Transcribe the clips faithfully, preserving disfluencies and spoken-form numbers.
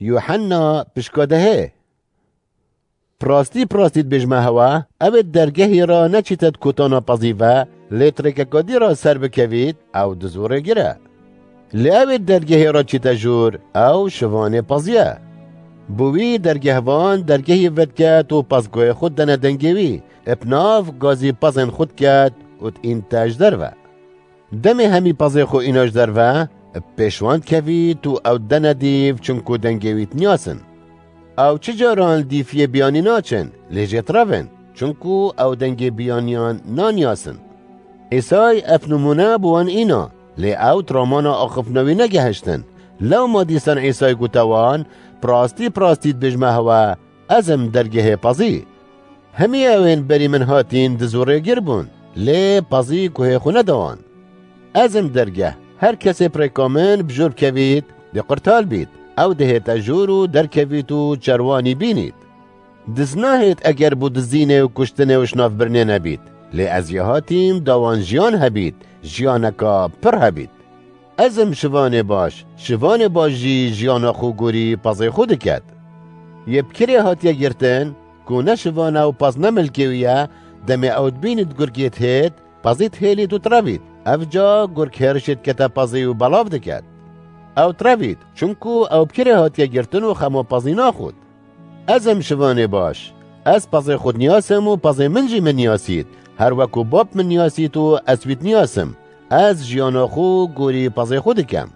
Yuhanna pişka dehê. Bi rastî, bi rastî dibêjime hewe, ew ê dergehê re neçîte di kotana pezî ve, lê di rêkeka dî re ser bikevît, ew diz û rêgir e. Lê ew ê dergehê re çîte jûr, ew şivanê pezî ye. Bi wî dergehvan dergehî vediket û pez guhê xwe dene dengê wî, bi nav gazî pezên xwe diket û diînte ji derve. Demê hemî pezê xwe îna ji derve, bi pêş wan dikevît û ew dene dîv, çinku dengê wî diniyasin. Ew çi caran li dîfiyê biyanî naçin, lê jê direv in, çinku ew dengê biyaniyan naniyasin. Îsay ev nimûne bi wan îna, lê ew di ramana axiftina wî negehiştin. Lewma dîsan Îsay gote wan, Bi rastî, bi rastî dibêjime hewe, ez im dergehê pezî. Hemî ewên berî min hatîn diz û rêgir bûn, lê pezî guhê xwe neda wan. Ez im dergeh, her kesê bi rêka min bi jûr bikevît, dê qurtal bît, ew dihête jûr û derkevît û çerwanî bînît. Diz nahêt eger bo dizînê û kuştinê û şinavbirinê nebît, lê ez yê hatîm da wan jiyan hebît, jiyaneka pir hebît. Ez im şivanê baş, şivanê baş jî jiyana xwe gorî pezê xwe diket. Yê bi kirê hatiye girtin, ku ne şivan e û pez ne milkê wî ye, demê ew dibînît gurgê dihêt, pezî dihêlît û direvît. Ev ca gurg hêrişê dikete pezî û belav diket. Ew direvît, çunku ew bi kirê hatiye girtin û xema pezî naxwit. Ez im şivanê baş. Ez pezê xwe diniyasim û pezê min jî min niyasît. Her weku bab min niyasît û ez wî diniyasim. Ez jiyana xwe gorî pezê xwe dikem.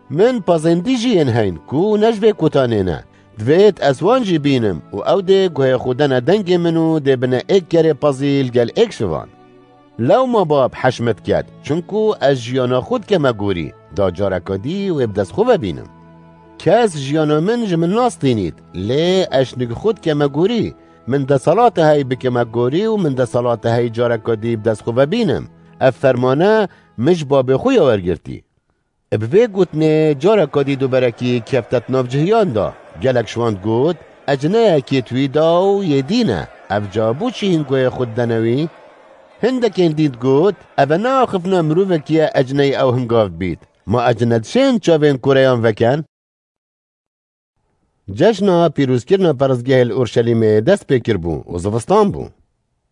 Min pezên dî jî yên heyn ku ne ji vê kutanê ne. Divêt ez wan jî bînim û ew dê guhê xwe dene dengê min û dê bine êk kerê pezî li gel êk şivan. Lewma bab heş min diket, çunku ez jiyana xwe dikeme gorî, da careka dî wê bi dest xwe ve bînim. Kes jiyana min ji min nastînît, lê ez şinik xwe dikeme gorî. Min desalata hey bikeme gorî û min desalata hey careka dî bi dest xwe ve bînim. Ev fermane min ji babê xwe ya wergirtî. Bi vê gotinê careka dî duberekî kefte di nav cihiyan de. Gelek ji wan digot, Ecineyekê di wî de û yê dî ne. Ev ca bo çi hîn guhê xwe didene wî? Hindekên dî digot, Eve ne axiftina mirovekî ye ecineyê ew hingav dibît. Ma ecine dişên çavên koreyan veken? Cejna pîrozkirina perestgehê li Urşelîmê dest pê kiribû û zivistan bû.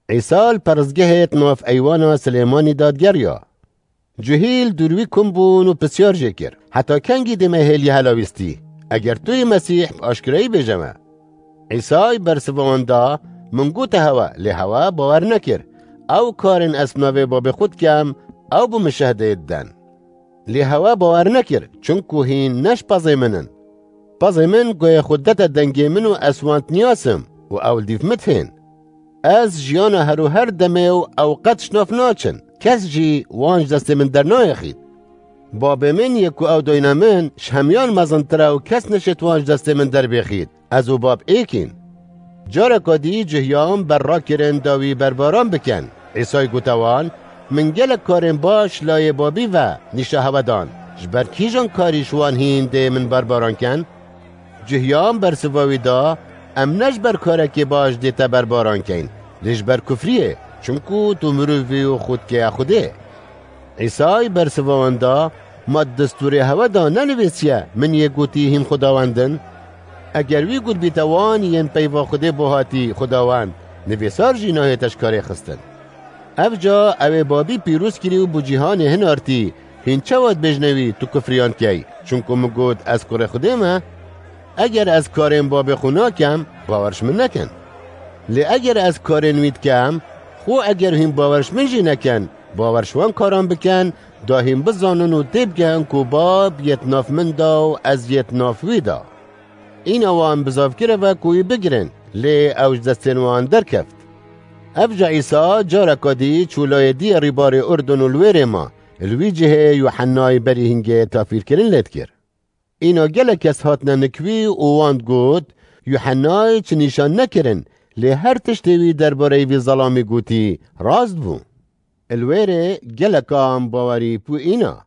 Îsa li perestgehê di nav eywana Silêmanî de digeriya. Cihî li dûr wî kom bûn û pisyar jê kir, Heta kengî dê me hêliyê helawîstî? Eger tu yî Mesîh, bi aşkerayî bêje me. Îsay bersiva wan da, Min gote hewe, lê hewe bawer nekir. Ew karên ez bi navê babê xwe dikem, ew bo min şehdeyê diden. Lê hewe bawer nekir, çunku hîn ne ji pezê min in. Pezê min guhê xwe dete dengê min û ez wan diniyasim û ew li dîv min dihên. Ez jiyana her û her demê û ew qet ji nav naçin. Kes jî wan ji destê min dernayêxît. Babê min yê ku ew dayne min, ji hemiyan mezintir e û kes neşêt wan ji destê min derbêxît. Ez û Bab êk in. Careka dî cihiyan ber rakirin da wî berbaran bikin. Îsay gote wan, Min gelek karên baş layê Babî ve nîşa hewe dan. Ji ber kîjan karî ji wan hîn dê min berbaran kin? Cihiyan bersiva wî da, Em ne ji ber karekê baş dê te berbaran kein, lê ji ber kufriyê, çunku tu mirov î û xwe dikeye Xwedê. Îsay bersiva wan da, Ma di destûrê hewe de nenivîsiye, Min yê gotî hîn xwedawend in? Eger wî gotbîte wan yên peyva Xwedê bo hatî xwedawend, nivîsar jî nahête ji karê xistin. Ev ca ew ê Babî pîroz kirî û bo cîhanê hinartî, hîn çawa dibêjine wî, Tu kufriyan dikey, çunku min got, Ez kurê Xwedê me? Eger ez karên babê xwe nakem, bawer ji min nekin. Lê eger ez karên wî dikem, xwe eger hîn bawer ji min jî nekin, bawer ji wan karan bikin, da hîn bizanin û têbigehin ku Bab yê di nav min de û ez yê di nav wî de. Îna wan bizavkireve ku wî bigirin, lê ew ji destên wan derkeft. Ev ca Îsa careka dî çû layê diyê rîbarê Urdun û li wêrê ma, li wî cihê Yuhennayê berî hingê tafîrkirin lê dikir. Îna gelek kes hatine nik wî û wan digot, Yuhennayê çi nîşan nekirin, lê her tiştê wî derbareyî vî zelamî gotî, rast bû. Li wêrê gelekan bawerî bi wî îna.